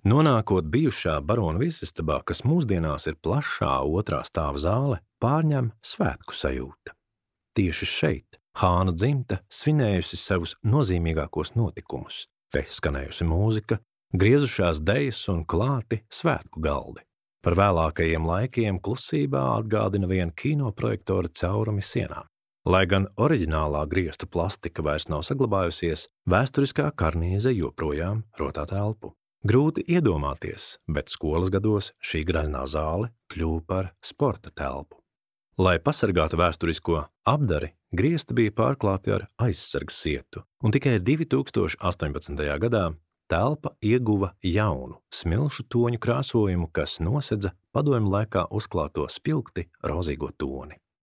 Nonākot bijušā barona viesistabā, kas mūsdienās ir plašā otrā stāva zāle, pārņem svētku sajūta. Tieši šeit Hāna dzimta svinējusi savus nozīmīgākos notikumus, te skanējusi mūzika, griezušās dejas un klāti svētku galdi. Par vēlākajiem laikiem klusībā atgādina vien kinoprojektora caurumi sienām. Lai gan oriģinālā griestu plastika vairs nav saglabājusies, vēsturiskā karnīze joprojām rotā telpu. Grūti iedomāties, bet skolas gados šī graznā zāle kļuva par sporta telpu. Lai pasargātu vēsturisko apdari, griesti bija pārklāti ar aizsargs sietu, un tikai 2018. gadā telpa ieguva jaunu, smilšu toņu krāsojumu, kas nosedza padomju laikā uzklāto spilgti rozīgo toni.